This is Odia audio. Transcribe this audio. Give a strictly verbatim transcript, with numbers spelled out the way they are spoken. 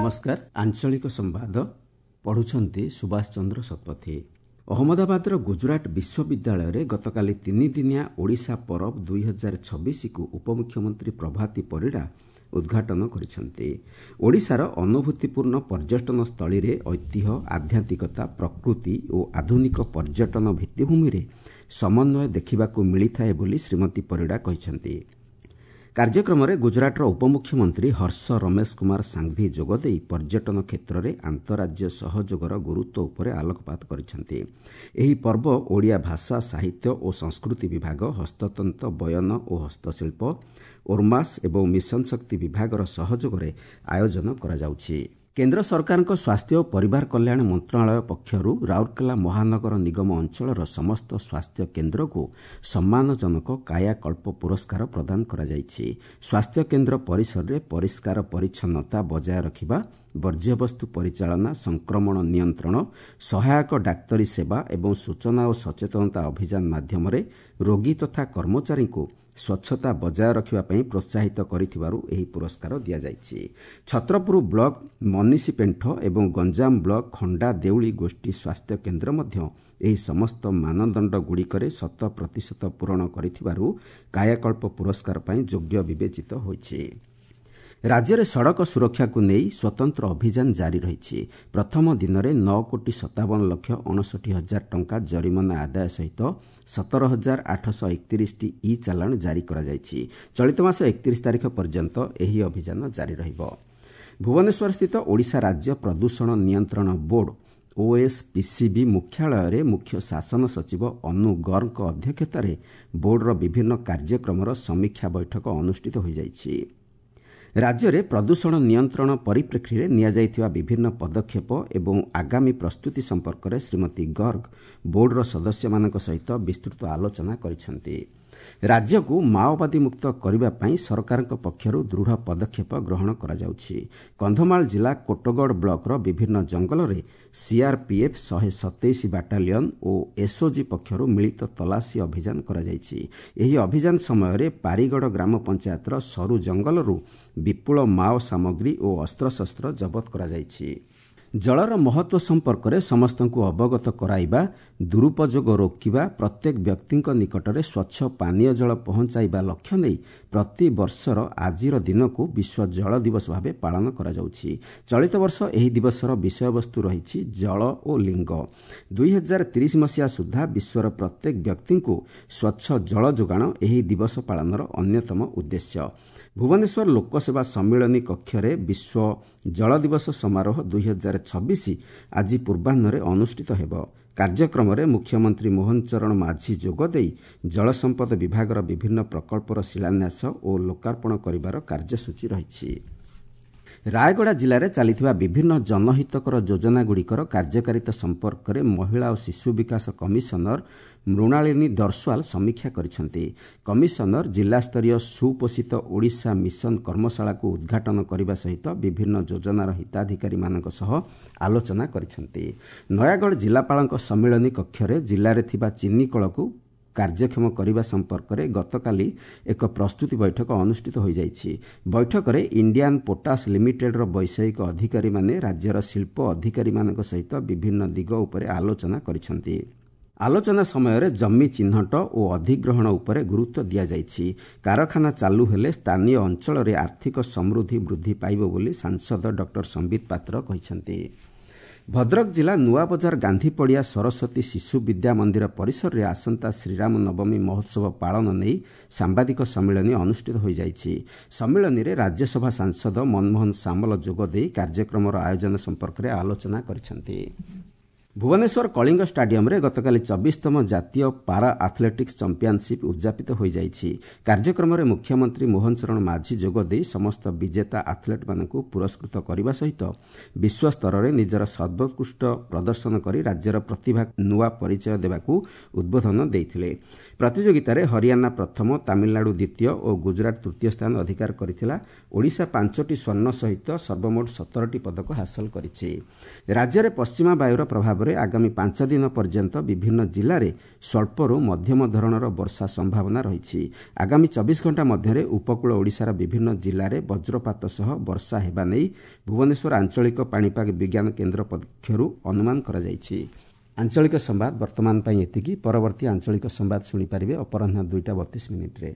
ନମସ୍କାର, ଆଞ୍ଚଳିକ ସମ୍ବାଦ ପଢ଼ୁଛନ୍ତି ସୁଭାଷ ଚନ୍ଦ୍ର ଶତପଥୀ। ଅହମ୍ମଦାବାଦର ଗୁଜରାଟ ବିଶ୍ୱବିଦ୍ୟାଳୟରେ ଗତକାଲି ତିନିଦିନିଆ ଓଡ଼ିଶା ପରବ ଦୁଇ ହଜାର ଛବିଶକୁ ଉପମୁଖ୍ୟମନ୍ତ୍ରୀ ପ୍ରଭାତୀ ପରିଡ଼ା ଉଦ୍ଘାଟନ କରିଛନ୍ତି। ଓଡ଼ିଶାର ଅନୁଭୂତିପୂର୍ଣ୍ଣ ପର୍ଯ୍ୟଟନ ସ୍ଥଳୀରେ ଐତିହ୍ୟ, ଆଧ୍ୟାତ୍ମିକତା, ପ୍ରକୃତି ଓ ଆଧୁନିକ ପର୍ଯ୍ୟଟନ ଭିତ୍ତିଭୂମିରେ ସମନ୍ୱୟ ଦେଖିବାକୁ ମିଳିଥାଏ ବୋଲି ଶ୍ରୀମତୀ ପରିଡ଼ା କହିଛନ୍ତି। କାର୍ଯ୍ୟକ୍ରମରେ ଗୁଜରାଟର ଉପମୁଖ୍ୟମନ୍ତ୍ରୀ ହର୍ଷ ରମେଶ କୁମାର ସାଙ୍ଘଭି ଯୋଗଦେଇ ପର୍ଯ୍ୟଟନ କ୍ଷେତ୍ରରେ ଆନ୍ତଃରାଜ୍ୟ ସହଯୋଗର ଗୁରୁତ୍ୱ ଉପରେ ଆଲୋକପାତ କରିଛନ୍ତି। ଏହି ପର୍ବ ଓଡ଼ିଆ ଭାଷା, ସାହିତ୍ୟ ଓ ସଂସ୍କୃତି ବିଭାଗ, ହସ୍ତତନ୍ତ, ବୟନ ଓ ହସ୍ତଶିଳ୍ପ, ଓର୍ମାସ୍ ଏବଂ ମିଶନ ଶକ୍ତି ବିଭାଗର ସହଯୋଗରେ ଆୟୋଜନ କରାଯାଉଛି। କେନ୍ଦ୍ର ସରକାରଙ୍କ ସ୍ୱାସ୍ଥ୍ୟ ଓ ପରିବାର କଲ୍ୟାଣ ମନ୍ତ୍ରଣାଳୟ ପକ୍ଷରୁ ରାଉରକେଲା ମହାନଗର ନିଗମ ଅଞ୍ଚଳର ସମସ୍ତ ସ୍ୱାସ୍ଥ୍ୟ କେନ୍ଦ୍ରକୁ ସମ୍ମାନଜନକ କାୟାକଳ୍ପ ପୁରସ୍କାର ପ୍ରଦାନ କରାଯାଇଛି। ସ୍ୱାସ୍ଥ୍ୟ କେନ୍ଦ୍ର ପରିସରରେ ପରିଷ୍କାର ପରିଚ୍ଛନ୍ନତା ବଜାୟ ରଖିବା, ବର୍ଜ୍ୟବସ୍ତୁ ପରିଚାଳନା, ସଂକ୍ରମଣ ନିୟନ୍ତ୍ରଣ, ସହାୟକ ଡାକ୍ତରୀ ସେବା ଏବଂ ସୂଚନା ଓ ସଚେତନତା ଅଭିଯାନ ମାଧ୍ୟମରେ ରୋଗୀ ତଥା କର୍ମଚାରୀଙ୍କୁ ସ୍ୱଚ୍ଛତା ବଜାୟ ରଖିବା ପାଇଁ ପ୍ରୋତ୍ସାହିତ କରିଥିବାରୁ ଏହି ପୁରସ୍କାର ଦିଆଯାଇଛି। ଛତ୍ରପୁର ବ୍ଲକ ମନିଷୀପେଣ୍ଠ ଏବଂ ଗଞ୍ଜାମ ବ୍ଲକ ଖଣ୍ଡା ଦେଉଳି ଗୋଷ୍ଠୀ ସ୍ୱାସ୍ଥ୍ୟ କେନ୍ଦ୍ର ମଧ୍ୟ ଏହି ସମସ୍ତ ମାନଦଣ୍ଡଗୁଡ଼ିକରେ ଶତ ପ୍ରତିଶତ ପୂରଣ କରିଥିବାରୁ କାୟାକଳ୍ପ ପୁରସ୍କାର ପାଇଁ ଯୋଗ୍ୟ ବିବେଚିତ ହୋଇଛି। ରାଜ୍ୟରେ ସଡ଼କ ସୁରକ୍ଷାକୁ ନେଇ ସ୍ୱତନ୍ତ୍ର ଅଭିଯାନ ଜାରି ରହିଛି। ପ୍ରଥମ ଦିନରେ ନଅ କୋଟି ସତାବନ ଲକ୍ଷ ଅଣଷଠି ହଜାର ଟଙ୍କା ଜରିମାନା ଆଦାୟ ସହିତ ସତର ହଜାର ଆଠଶହ ଏକତିରିଶଟି ଇ ଚାଲାଣ ଜାରି କରାଯାଇଛି। ଚଳିତ ମାସ ଏକତିରିଶ ତାରିଖ ପର୍ଯ୍ୟନ୍ତ ଏହି ଅଭିଯାନ ଜାରି ରହିବ। ଭୁବନେଶ୍ୱରସ୍ଥିତ ଓଡ଼ିଶା ରାଜ୍ୟ ପ୍ରଦୂଷଣ ନିୟନ୍ତ୍ରଣ ବୋର୍ଡ ଓଏସ୍ପିସିବି ମୁଖ୍ୟାଳୟରେ ମୁଖ୍ୟ ଶାସନ ସଚିବ ଅନୁ ଗର୍ଗଙ୍କ ଅଧ୍ୟକ୍ଷତାରେ ବୋର୍ଡର ବିଭିନ୍ନ କାର୍ଯ୍ୟକ୍ରମର ସମୀକ୍ଷା ବୈଠକ ଅନୁଷ୍ଠିତ ହୋଇଯାଇଛି। ରାଜ୍ୟରେ ପ୍ରଦୂଷଣ ନିୟନ୍ତ୍ରଣ ପରିପ୍ରେକ୍ଷୀରେ ନିଆଯାଇଥିବା ବିଭିନ୍ନ ପଦକ୍ଷେପ ଏବଂ ଆଗାମୀ ପ୍ରସ୍ତୁତି ସମ୍ପର୍କରେ ଶ୍ରୀମତୀ ଗର୍ଗ ବୋର୍ଡର ସଦସ୍ୟମାନଙ୍କ ସହିତ ବିସ୍ତୃତ ଆଲୋଚନା କରିଛନ୍ତି। ରାଜ୍ୟକୁ ମାଓବାଦୀ ମୁକ୍ତ କରିବା ପାଇଁ ସରକାରଙ୍କ ପକ୍ଷରୁ ଦୃଢ଼ ପଦକ୍ଷେପ ଗ୍ରହଣ କରାଯାଉଛି। କନ୍ଧମାଳ ଜିଲ୍ଲା କୋଟଗଡ଼ ବ୍ଲକର ବିଭିନ୍ନ ଜଙ୍ଗଲରେ ସିଆର୍ପିଏଫ୍ ଶହେ ସତେଇଶ ବାଟାଲିୟନ ଓ ଏସ୍ଓଜି ପକ୍ଷରୁ ମିଳିତ ତଲାସୀ ଅଭିଯାନ କରାଯାଇଛି। ଏହି ଅଭିଯାନ ସମୟରେ ପାରିଗଡ଼ ଗ୍ରାମ ପଞ୍ଚାୟତର ସରୁ ଜଙ୍ଗଲରୁ ବିପୁଳ ମାଓ ସାମଗ୍ରୀ ଓ ଅସ୍ତ୍ରଶସ୍ତ୍ର ଜବତ କରାଯାଇଛି। ଜଳର ମହତ୍ତ୍ୱ ସମ୍ପର୍କରେ ସମସ୍ତଙ୍କୁ ଅବଗତ କରାଇବା, ଦୁରୁପଯୋଗ ରୋକିବା, ପ୍ରତ୍ୟେକ ବ୍ୟକ୍ତିଙ୍କ ନିକଟରେ ସ୍ୱଚ୍ଛ ପାନୀୟ ଜଳ ପହଞ୍ଚାଇବା ଲକ୍ଷ୍ୟ ନେଇ ପ୍ରତିବର୍ଷର ଆଜିର ଦିନକୁ ବିଶ୍ୱ ଜଳ ଦିବସ ଭାବେ ପାଳନ କରାଯାଉଛି। ଚଳିତ ବର୍ଷ ଏହି ଦିବସର ବିଷୟବସ୍ତୁ ରହିଛି ଜଳ ଓ ଲିଙ୍ଗ। ଦୁଇ ହଜାର ତିରିଶ ମସିହା ସୁଦ୍ଧା ବିଶ୍ୱର ପ୍ରତ୍ୟେକ ବ୍ୟକ୍ତିଙ୍କୁ ସ୍ୱଚ୍ଛ ଜଳ ଯୋଗାଣ ଏହି ଦିବସ ପାଳନର ଅନ୍ୟତମ ଉଦ୍ଦେଶ୍ୟ। ଭୁବନେଶ୍ୱର ଲୋକସେବା ସମ୍ମିଳନୀ କକ୍ଷରେ ବିଶ୍ୱ ଜଳ ଦିବସ ସମାରୋହ ଦୁଇ ହଜାର ଛବିଶ ଆଜି ପୂର୍ବାହ୍ନରେ ଅନୁଷ୍ଠିତ ହେବ। କାର୍ଯ୍ୟକ୍ରମରେ ମୁଖ୍ୟମନ୍ତ୍ରୀ ମୋହନ ଚରଣ ମାଝୀ ଯୋଗଦେଇ ଜଳସମ୍ପଦ ବିଭାଗର ବିଭିନ୍ନ ପ୍ରକଳ୍ପର ଶିଳାନ୍ୟାସ ଓ ଲୋକାର୍ପଣ କରିବାର କାର୍ଯ୍ୟସୂଚୀ ରହିଛି। ରାୟଗଡ଼ା ଜିଲ୍ଲାରେ ଚାଲିଥିବା ବିଭିନ୍ନ ଜନହିତକର ଯୋଜନାଗୁଡ଼ିକର କାର୍ଯ୍ୟକାରିତା ସମ୍ପର୍କରେ ମହିଳା ଓ ଶିଶୁ ବିକାଶ କମିଶନର ମୃଣାଳିନୀ ଦର୍ଶୱାଲ ସମୀକ୍ଷା କରିଛନ୍ତି। କମିଶନର ଜିଲ୍ଲାସ୍ତରୀୟ ସୁପୋଷିତ ଓଡ଼ିଶା ମିଶନ କର୍ମଶାଳାକୁ ଉଦ୍ଘାଟନ କରିବା ସହିତ ବିଭିନ୍ନ ଯୋଜନାର ହିତାଧିକାରୀମାନଙ୍କ ସହ ଆଲୋଚନା କରିଛନ୍ତି। ନୟାଗଡ଼ ଜିଲ୍ଲାପାଳଙ୍କ ସମ୍ମିଳନୀ କକ୍ଷରେ ଜିଲ୍ଲାରେ ଥିବା ଚିନିକଳକୁ କାର୍ଯ୍ୟକ୍ଷମ କରିବା ସମ୍ପର୍କରେ ଗତକାଲି ଏକ ପ୍ରସ୍ତୁତି ବୈଠକ ଅନୁଷ୍ଠିତ ହୋଇଯାଇଛି। ବୈଠକରେ ଇଣ୍ଡିଆନ୍ ପୋଟାସ୍ ଲିମିଟେଡ୍ର ବୈଷୟିକ ଅଧିକାରୀମାନେ ରାଜ୍ୟର ଶିଳ୍ପ ଅଧିକାରୀମାନଙ୍କ ସହିତ ବିଭିନ୍ନ ଦିଗ ଉପରେ ଆଲୋଚନା କରିଛନ୍ତି। ଆଲୋଚନା ସମୟରେ ଜମି ଚିହ୍ନଟ ଓ ଅଧିଗ୍ରହଣ ଉପରେ ଗୁରୁତ୍ୱ ଦିଆଯାଇଛି। କାରଖାନା ଚାଲୁ ହେଲେ ସ୍ଥାନୀୟ ଅଞ୍ଚଳରେ ଆର୍ଥିକ ସମୃଦ୍ଧି ବୃଦ୍ଧି ପାଇବ ବୋଲି ସାଂସଦ ଡକ୍ଟର ସମ୍ବିତ ପାତ୍ର କହିଛନ୍ତି। ଭଦ୍ରକ ଜିଲ୍ଲା ନୂଆବଜାର ଗାନ୍ଧୀପଡ଼ିଆ ସରସ୍ୱତୀ ଶିଶୁ ବିଦ୍ୟା ମନ୍ଦିର ପରିସରରେ ଆସନ୍ତା ଶ୍ରୀରାମ ନବମୀ ମହୋତ୍ସବ ପାଳନ ନେଇ ସାମ୍ବାଦିକ ସମ୍ମିଳନୀ ଅନୁଷ୍ଠିତ ହୋଇଯାଇଛି। ସମ୍ମିଳନୀରେ ରାଜ୍ୟସଭା ସାଂସଦ ମନମୋହନ ସାମଲ ଯୋଗଦେଇ କାର୍ଯ୍ୟକ୍ରମର ଆୟୋଜନ ସମ୍ପର୍କରେ ଆଲୋଚନା କରିଛନ୍ତି। ଭୁବନେଶ୍ୱର କଳିଙ୍ଗ ଷ୍ଟାଡିୟମରେ ଗତକାଲି ଚବିଶତମ ଜାତୀୟ ପାରା ଆଥଲେଟିକ୍ସ ଚାମ୍ପିୟନସିପ୍ ଉଦ୍ଯାପିତ ହୋଇଯାଇଛି। କାର୍ଯ୍ୟକ୍ରମରେ ମୁଖ୍ୟମନ୍ତ୍ରୀ ମୋହନ ଚରଣ ମାଝୀ ଯୋଗଦେଇ ସମସ୍ତ ବିଜେତା ଆଥଲେଟ୍ମାନଙ୍କୁ ପୁରସ୍କୃତ କରିବା ସହିତ ବିଶ୍ୱସ୍ତରରେ ନିଜର ସର୍ବୋତ୍କୃଷ୍ଟ ପ୍ରଦର୍ଶନ କରି ରାଜ୍ୟର ପ୍ରତିଭା ନୂଆ ପରିଚୟ ଦେବାକୁ ଉଦ୍ବୋଧନ ଦେଇଥିଲେ। ପ୍ରତିଯୋଗିତାରେ ହରିୟାଣା ପ୍ରଥମ, ତାମିଲନାଡୁ ଦ୍ୱିତୀୟ ଓ ଗୁଜରାଟ ତୃତୀୟ ସ୍ଥାନ ଅଧିକାର କରିଥିଲା। ଓଡ଼ିଶା ପାଞ୍ଚଟି ସ୍ୱର୍ଣ୍ଣ ସହିତ ସର୍ବମୋଟ ସତରଟି ପଦକ ହାସଲ କରିଛି। ରାଜ୍ୟରେ ପଶ୍ଚିମା ବାୟୁର ପ୍ରଭାବରେ ହିସାବରେ ଆଗାମୀ ପାଞ୍ଚ ଦିନ ପର୍ଯ୍ୟନ୍ତ ବିଭିନ୍ନ ଜିଲ୍ଲାରେ ସ୍ୱଳ୍ପରୁ ମଧ୍ୟମ ଧରଣର ବର୍ଷା ସମ୍ଭାବନା ରହିଛି। ଆଗାମୀ ଚବିଶ ଘଣ୍ଟା ମଧ୍ୟରେ ଉପକୂଳ ଓଡ଼ିଶାର ବିଭିନ୍ନ ଜିଲ୍ଲାରେ ବଜ୍ରପାତ ସହ ବର୍ଷା ହେବା ନେଇ ଭୁବନେଶ୍ୱର ଆଞ୍ଚଳିକ ପାଣିପାଗ ବିଜ୍ଞାନ କେନ୍ଦ୍ର ପକ୍ଷରୁ ଅନୁମାନ କରାଯାଇଛି। ଆଞ୍ଚଳିକ ସମ୍ବାଦ ବର୍ତ୍ତମାନ ପାଇଁ ଏତିକି। ପରବର୍ତ୍ତୀ ଆଞ୍ଚଳିକ ସମ୍ବାଦ ଶୁଣିପାରିବେ ଅପରାହ୍ନ ଦୁଇଟା ବତିଶ ମିନିଟ୍ରେ।